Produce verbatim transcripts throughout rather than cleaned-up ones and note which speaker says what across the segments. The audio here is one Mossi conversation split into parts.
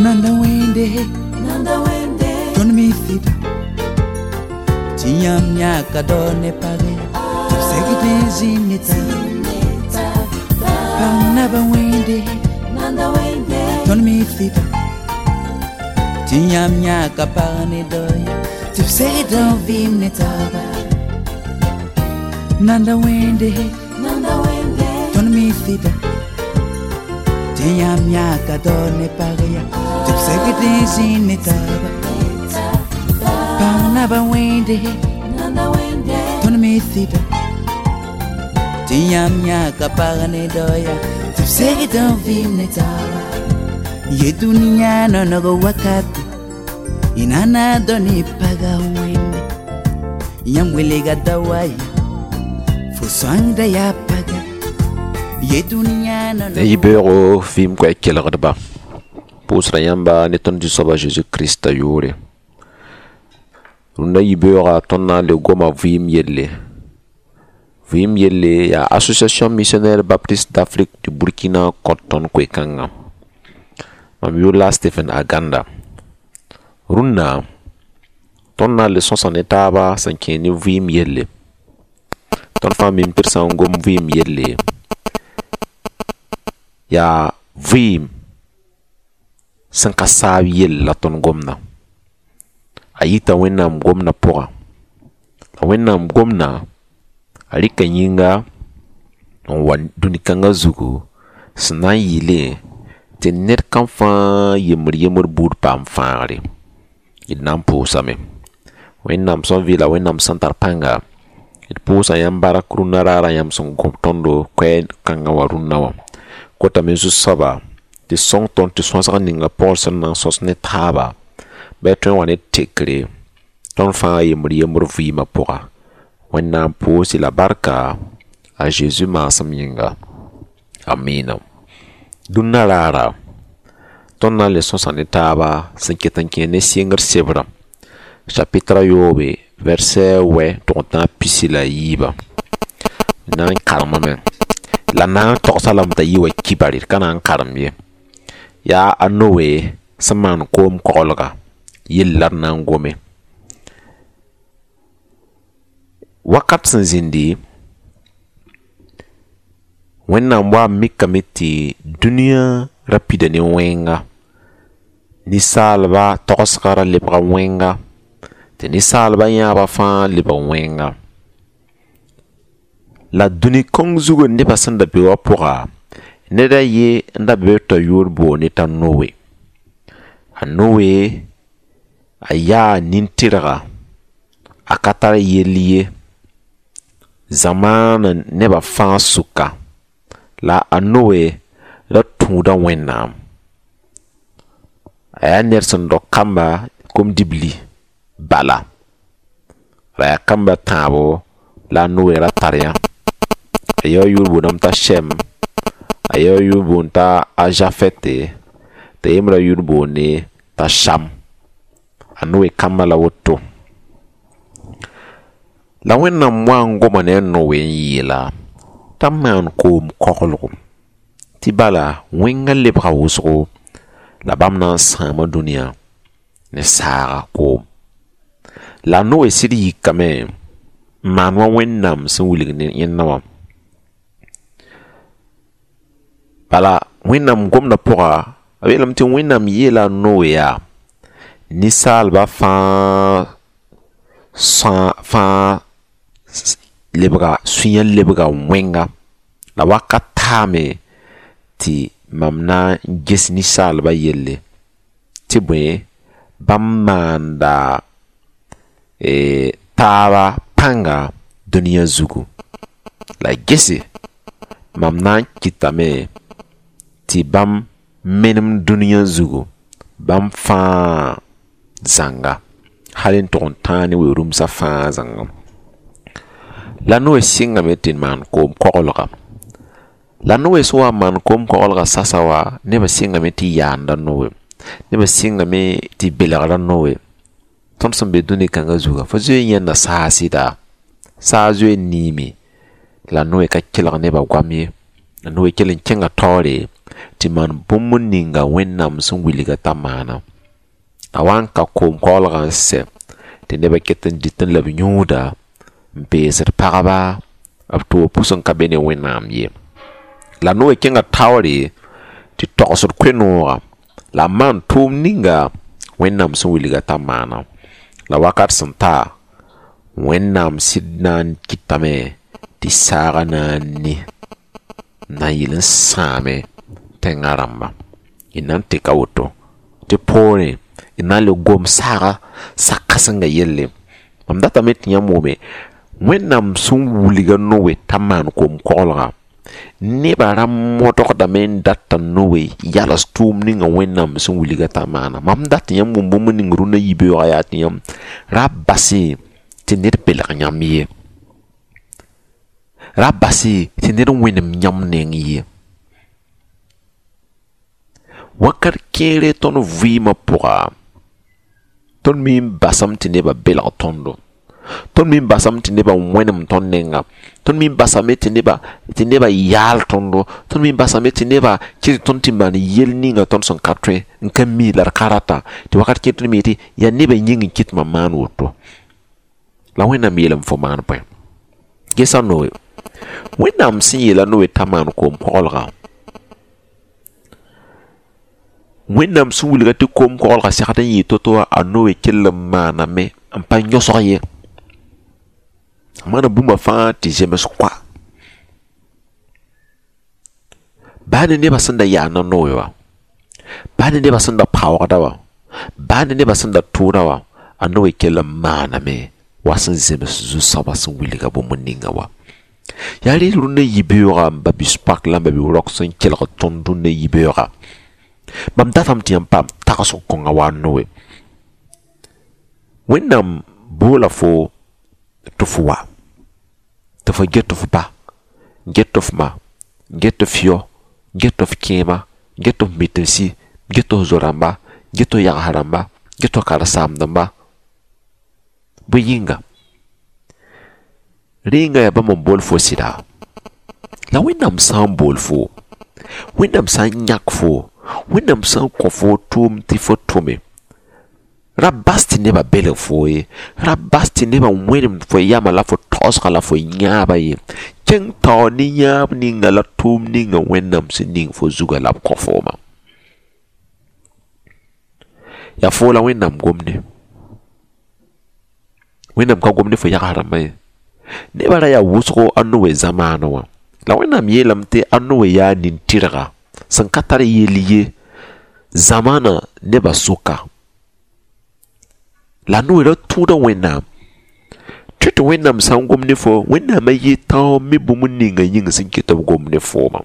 Speaker 1: Nanda wẽnde,
Speaker 2: Nanda wẽnde,
Speaker 1: tõnd mi sɩda tɩ yãmb yãka dao ne page tɩ b segd n zĩnd ne taaba. Pãng naba wẽnde,
Speaker 2: Nanda wẽnde,
Speaker 1: tõnd mi sɩda tɩ yãmb yãka pag ne dao ya tɩ b segd n vɩɩm ne taaba. Nanda wẽnde,
Speaker 2: Nanda wẽnde,
Speaker 1: tõnd mi sɩda tɩ yãmb yãka dao ne pag ya tɩ b segd n zĩnd ne taaba. Pãng naba wẽnde,
Speaker 2: Nanda wẽnde,
Speaker 1: tõnd mi sɩda tɩ yãmb yãka pag ne dao ya tɩ b segd n vɩɩm ne taaba. Ye dũniyã noneg wakate y nana dao ne paga wẽnde, yãmb welga da wa ya fo sõangda yaa paga ye dũniyã
Speaker 3: Ne
Speaker 1: noneg.
Speaker 3: Yibeoogo vɩɩm koɛɛ kelgdba, pʋʋsda yãmba ne tõnd Zu-soaba Zeezi Krista yʋʋre. Rũndã yibeoogã, tõnd na n le goma vɩɩm yelle. Vɩɩm yelle yaa Association Missionnaire Baptiste d'Afrique du Burkina kõt tõnd koe-kãngã. Mam yʋʋr la Stephen Aganda. Rũnnã, tõnd na n le sõsa ne taaba sẽn kẽe ne vɩɩm yelle. Tõnd fãa mim tɩ d sã n gom vɩɩm yelle, yaa vɩɩm sẽn ka saab yell la tõnd gomda. A yita Wẽnnaam gomdã pʋga. La Wẽnnaam gomdã, a rɩka yĩnga n wa dũni kãngã zugu sẽn na n yɩɩlẽ tɩ ned kam fãa yembr yembr buud paam fãagre. D na n pʋʋsame. Wẽnnaam sẽn vɩɩla, Wẽnnaam sẽn tar pãnga, d pʋʋsa yãmb bark rũnnã raarã yãmb sẽn gom tõndo koɛɛg kãngã wã rũnnã wã. Kotame Zu-soaba tɩ sõng tõnd tɩ sõsg ninga pʋgr sẽn na n sõs ne taaba bɩ tõe n wa ne tekre tõnd fãa yembr yembr vɩɩmã pʋga. Wẽnnaam pʋʋs-y la barka a Zeezi maasem yĩnga. Amina. Dũnnã raara, tõnd na n le sõsa ne taaba sẽn ket n kẽe ne sɩngr sebrã chapitre a yoobe, verset wɛ tʋg n tãag pisi la a yiibã. Na n karemame la na n togsa lame t'a yɩ wa kibare, d ka na n karem ye. Yaa a Noe sẽn maan koom koglga yell la d na n gome. Wakat sẽn zĩndi, Wẽnnaam wa n mikame tɩ dũniyã ra pida ne wẽnga, ninsaalba togsga ra lebga wẽnga, tɩ ninsaalba yãabã fãa lebg wẽnga. La dũni kõng zugã nebã sẽn da be wã pʋga, ned a ye n da be t'a yʋʋr boonde t'a Noe. A Noe, a yaa nin-tɩrga, a ka tar yell ye zamaanã nebã fãa sʋka. La a Noe ra tũuda Wẽnnaam. A yaa ned sẽn dog kamba kom-dibli bala. La yaa kamba tãabo la a Noe ra tar yã. A yao yʋʋr boondame t'a Sɛm, a yao yʋʋr boond t'a a Zafɛte, t'a yembrã yʋʋr boonde t'a Sam. A Noe kambã la woto. La Wẽnnaam wa n goma ne a Noe n yeela t'a maan koom koglgo tɩ bala wẽngã lebga wʋsgo la bãmb na n sãama dũniyã ne saaga koom. La a Noe sɩd yikame n maan wa Wẽnnaam sẽn wilg ne yẽnda wã. Bala Wẽnnaam gomdã pʋga, b yeelame tɩ Wẽnnaam yeela a Noe yaa ninsaalba fãa sã fãa lebga sũyã lebga wẽnga, la wakat taame tɩ mam na n ges ninsaalba yelle tɩ bõe bãmb maanda eh, taaba pãnga dũniyã zugu. La gese mam na n kɩtame tɩ bãmb menem dũniyã zugu bãmb fãa zãnga hal n tʋg n tãag ne we-rũmsã fãa zãnga. La Noe sɩngame tɩ maan koom koglga. La Noe sẽn wa n maan koom koglga sasa wa, nebã sɩngame tɩ yaanda Noe, nebã sɩngame tɩ belgra Noe. Tõnd sẽn be dũni kãngã zuga, fo zoe n yãenda saag sɩda, saag zoe n niime, la Noe ka kelg nebã goam ye. La Noe kell n kẽnga taoore. Tɩ maan bũmb ninga Wẽnnaam sẽn wilga t'a maana. A wa n ka koom-koglgã n sɛ tɩ nebã ket n dɩtẽ la b yũuda n peesd pagba b toog pʋs n ka be ne Wẽnnaam ye. La Noe kẽnga taoore tɩ togsd koe-noogã la a maan tʋʋm ninga Wẽnnaam sẽn wilga t'a maana. La wakat sẽn ta, Wẽnnaam sɩd na n kɩtame tɩ saagã na n ni n na n yɩl n sãame tẽngã rãmba. Y na n tɩka woto tɩ poorẽ y na n le gom saaga sak-kãsengã yelle. Mam datame tɩ yãmb wʋme Wẽnnaam sẽn wilga Noe t'a maan koom-koglgã nebã ra modgdame n data Noe yals tʋʋm ninga Wẽnnaam sẽn wilga t'a maana. Mam dat tɩ yãmb wʋm bũmb ning rũnã yibeoogã yaa tɩ yãmb ra base tɩ ned belg yãmb ye. Ra base tɩ ned wẽnem yãmb neng ye. Wakat kẽere tõnd vɩɩmã pʋga, tõnd me n basame tɩ nebã belg tõndo. Tõnd me n basame tɩ nebã wẽnem tõnd nenga. Tõnd me n basame tɩ nebã tɩ nebã yaal tõndo. Tõnd me n basame tɩ nebã kɩt tõnd tɩ maan yel ninga tõnd sẽn ka tõe n ka mi la d ka rata. Tɩ wakat kẽer tõnd me yetɩ yaa nebã yĩng n kɩt mam maan woto. La Wẽnnaam yeelame fo maan bõe? Gesa Noe. Wẽnnaam sẽn yeela Noe t'a maan koom-koglgã, Wẽnnaam sẽn wilga tɩ koom-koglgã segd n yɩɩ to-to wã, a Noe kell n maaname n pa yõsg ye. A maana bũmba fãa tɩ zems koa. Baa ne nebã sẽn da yaana Noe wã, baa ne nebã sẽn da paoogda wã, baa ne nebã sẽn da tʋʋda wã, a Noe kell n maaname wa sẽn zems zu-soabã sẽn wilga bũmb ninga wã. Yaa reel rũnnã yibeoogã n ba-bi-spak la n ba-bi-rok sẽn kelg tõnd rũnnã yibeoogã. Mam datame tɩ yãmb paam tagsg kõnga wa a Noe. Wẽnnaam boola fo tɩ fo wa, tɩ fo get f ba, get f ma, get f yao, get f kẽema, get f mitmsi, get f zo-rãmba, get f yags rãmba, get f karen-saamdãmba. Bõe yĩnga? Rẽnga yaa bãmb n bool fo sɩda. La Wẽnnaam sã n bool fo, Wẽnnaam sã n yãk fo, Wẽnnaam sã n kõ fo tʋʋm tɩ fo tʋme, ra bas tɩ nebã belg fo ye, ra bas tɩ nebã wẽnemd fo yamã la fo taoosgã la fo yãabã ye. Kẽng taoor ne yãab ninga la tʋʋm ninga Wẽnnaam sẽn ning fo zugã la b kõ fooma. Yaa foo la Wẽnnaam gomde. Wẽnnaam ka gomd ne fo yags rãmbã ye. Nebã ra yaa wʋsgo a Noe zamaanẽ wã. La Wẽnnaam yeelame tɩ a Noe yaa nin-tɩrga sẽn ka tar yell ye zamaanã nebã sʋka. La Noe ra tũuda Wẽnnaam. Tɩ tɩ Wẽnnaam sã n gom ne fo, Wẽnnaamã yɩ tão mi bũmb ninga yĩng sẽn kɩt b gom ne foomã.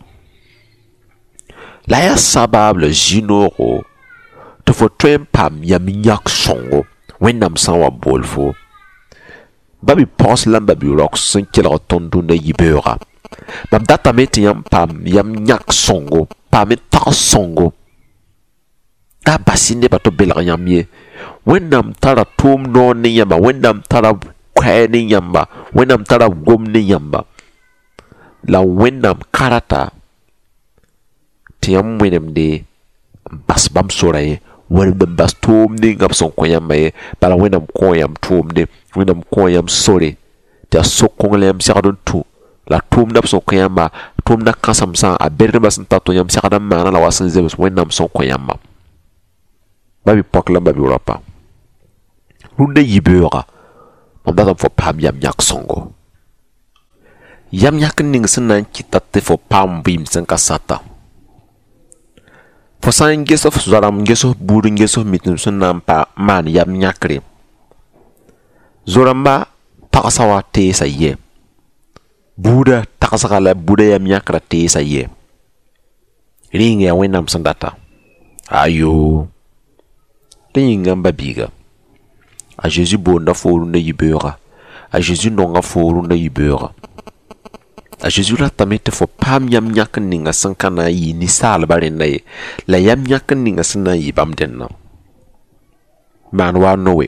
Speaker 3: La yaa sabaab la zĩ-noogo tɩ fo tõe n paam yam yãk sõngo Wẽnnaam sã n wa bool fo. Ba-bi-pogs la n ba-bi-raok sẽn kelg tõnd rũndã yibeoogã. Mam datame tɩ yãmb paam yam yãk sõngo, paam tags sõngo. Da bas-y nebã tɩ b belg yãmb ye. Wẽnnaam tara tʋʋm noor ne yãmba, Wẽnnaam tara koɛɛ ne yãmba, Wẽnnaam tara gom ne yãmba. La Wẽnnaam ka rata tɩ yãmb wẽnemde n bas bãmb sora ye, wẽnemd n bas tʋʋm ninga b sẽn kõ yãmba ye. Bala Wẽnnaam kõo yãmb tʋʋmde, Wẽnnaam kõo yãmb sore tɩ yaa so-kong la yãmb segd n tũ. La tʋʋmdã b sẽn kõ yãmba, tʋʋmdã kãsemsã, a berdbã sẽn tar tɩ yãmb segd n maana la wa sẽn zems Wẽnnaam sẽn kõ yãmba. Ba-bi-pɔk la ba-bi-raopa. Rũndã yibeoogã, mam datame fo paam yam yãk sõngo. Yam yãk ning sẽn na n kɩta tɩ fo paam vɩɩm sẽn ka sata. Fo sã n ges f zoa-rãmb, n ges f buud, n ges f mitm sẽn na n pa maan yam yãkre, zo-rãmba tagsã wa teesa yɛ. Buudã tagsga la buudã yam yãkrã teesa yɛ. Rẽnga yaa Wẽnnaam sẽn data. Ayo. Rẽ yĩnga n ba-biiga. A Zeezi boonda fo rũndã yibeoogã. A Zeezi nonga fo rũndã yibeoogã. A Zeezi ratame tɩ fo paam yam yãk ninga sẽn ka na n yɩ ninsaalbã rẽnda ye, la yam yãk ninga sẽn na n yɩ bãmb dẽnna. Maan wa a Noe.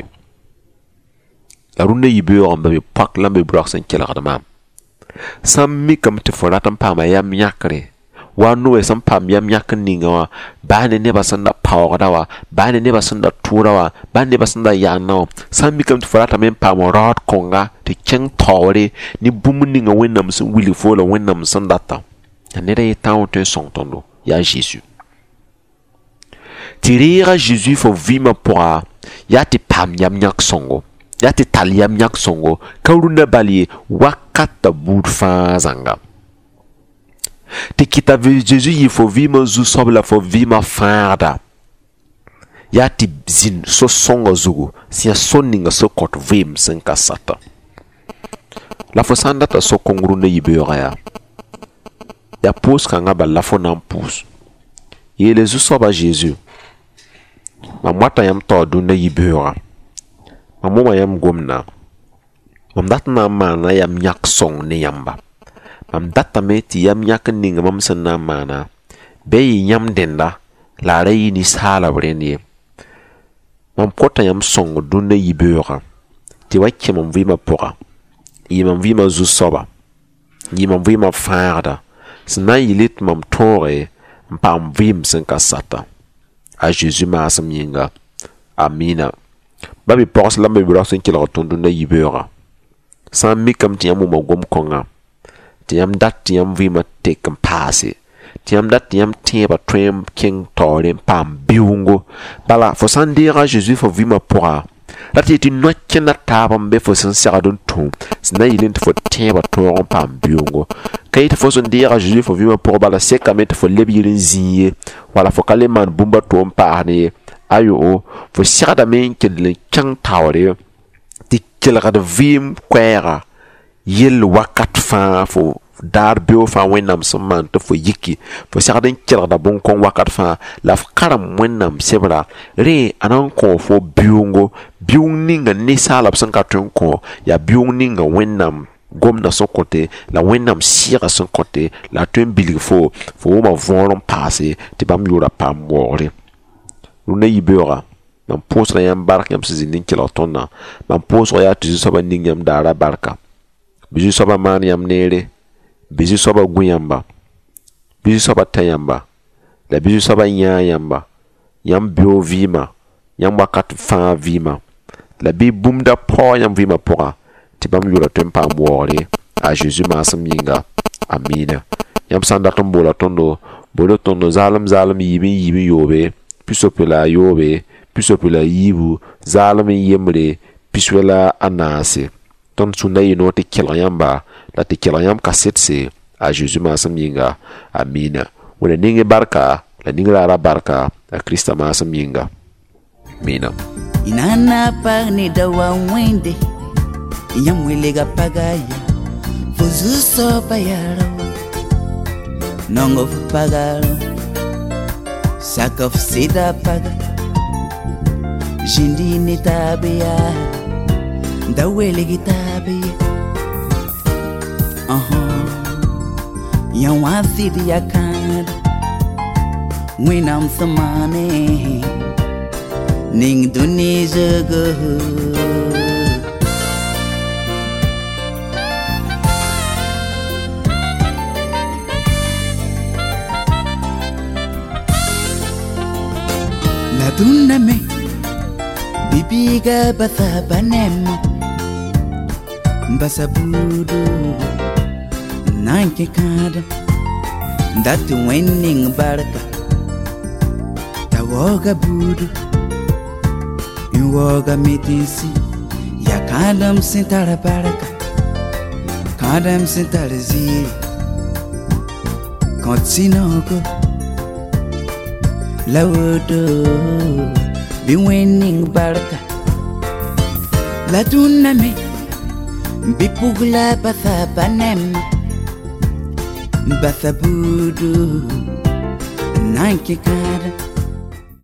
Speaker 3: La rũndã yibeoogã n ba-bi-poak la n ba-bi-raok sẽn kelgd maam. Sã n mikame tɩ fo rat n paama yam yãkre, Wa Noe sẽn paam yam yãk n ninga wã baa ne nebã sẽn da paoogda wã baa ne nebã sẽn da tʋʋda wã baa ne nebã sẽn da yaanda wã sã n mikame tɩ fo ratame n paam raood kõnga tɩ kẽng taoore ne bũmb ninga Wẽnnaam sẽn wilg fo la Wẽnnaam sẽn data la ned a ye tã wã tõe n sõng tõndo yaa Zezu tɩ reega Zezu fo vɩɩmã pʋga yaa tɩ paam yam yãk sõngo yaa tɩ tall yam yãk sõngo ka rũndã bal ye wakata buud fãa zãnga tɩ kɩta Zezu yɩ fo vɩɩmã zu-soab la fo vɩɩmã fãagda yaa tɩ zĩnd so-sõngã zugu sẽn yaa sor ninga sẽn kõt vɩɩm sẽn ka sata la fo sã n data so-kõng rũndã yibeoogã yaa yaa pʋʋs-kãngã bal la fo na n pʋʋs yeele zu-soaba Zezu mam wata yãmb taoor dũnna yibeoogã mam wʋma yãmb gomda mam dat n na n maana yam yãk sõng ne yãmba mam datame tɩ yam yãk n ninga mam sẽn na n maana bɩ yɩ yãmb dẽnda la a ra yɩ ninsaalb rẽnd ye mam kota yãmb sõng dũnna yibeoogã tɩ wa kẽ mam vɩɩmã pʋga n yɩ mam vɩɩmã zu-soaba n yɩ mam vɩɩmã fãagda sẽn na n yɩl tɩ mam tõoge n paam vɩɩm sẽn ka sata a Zezu maasem yĩnga amina ba bi-pogs la b bi-raoog sẽn kelg tõnd dũnna yibeoogã sã n mikame tɩ yãmb wʋma gom-kõnga tɩ yãmb dat tɩ yãmb vɩɩmã tek n paase tɩ yãmb dat tɩ yãmb tẽebã tõe n kẽng taoore n paam biʋʋngo bala fo sã n deega Zezu fo vɩɩmã pʋga ra tɩ yetɩ no-kẽnda taab n be fo sẽn segd n tũ sẽn na n yɩl tɩ fo tẽebã tõog n paam biʋʋngo ka yetɩ fo sẽn deega Zezu fo vɩɩmã pʋgã bala sekame tɩ fo leb yir n zĩig ye wala fo ka le maan bũmb a to n paasd ye ayo fo segdame n kell n kẽng taoore tɩ kelgd vɩɩm koɛɛga yell wakat fãa fo daar beoog fãa Wẽnnaam sẽn maan tɩ fo yiki fo segd n kelgda bõn-kõng wakat fãa la f karem Wẽnnaam sebra rẽ a na n kõ fo biʋʋngo biʋʋng ninga ninsaalb sẽn ka tõe n kõ yaa biʋʋng ninga Wẽnnaam gomdã sẽn kõte la Wẽnnaam sɩɩgã sẽn kõte la a tõe n bilg fo fo wʋma võor n paase tɩ bãmb yʋʋra paam waoogre rũndã yibeoogã mam pʋʋsga yãmb bark yãmb sẽn zĩnd n kelg tõndã mam pʋʋsga yaa tɩ zu-soabã ning yãmb daara barka bɩ zu-soabã maan yãmb neere bɩ zu-soabã gũ yãmba bɩ zu-soabã ta yãmba la bɩ zu-soabã yãag yãmba yãmb beoog vɩɩmã yãmb wakat fãa vɩɩmã la bɩ bũmb da paoog yãmb vɩɩmã pʋga tɩ bãmb yʋʋra tõe n paam waoogre a Zezu maasem yĩnga amina yãmb sã n dat n boola tõndo boola tõndo zaalem zaalem yiib n yiib n yoobe pisopoe la a yoobe pisopoe la a yiibu zaalem n yembre piswɛ la a naase tõnd sũnda yɩ noor tɩ kelg yãmba la tɩ kelg yãmb kasetse a Zezu maasem yĩnga amina wẽna ning barka la ning raara barka a Krista maasem yĩnga amina
Speaker 1: Inana pag ni dawa wende Yam welega pagaya Fuzu so payarawa Nongo pagaro Saka fsida paga Jindi ni tabia Dawelegi tabia Uh-huh Yam wasidi yakad Winam samane Ning duni zugu La duna me Bibiga basa banem Basa budu Nanke kada Datu winning barka Tawoga budu Inwoga mitinsi Ya kadam sintara baraka Kadam sintara ziri Kontinoko Laudo Be winning baraka La duname Bipugla batha banem Batha budu Nanke kada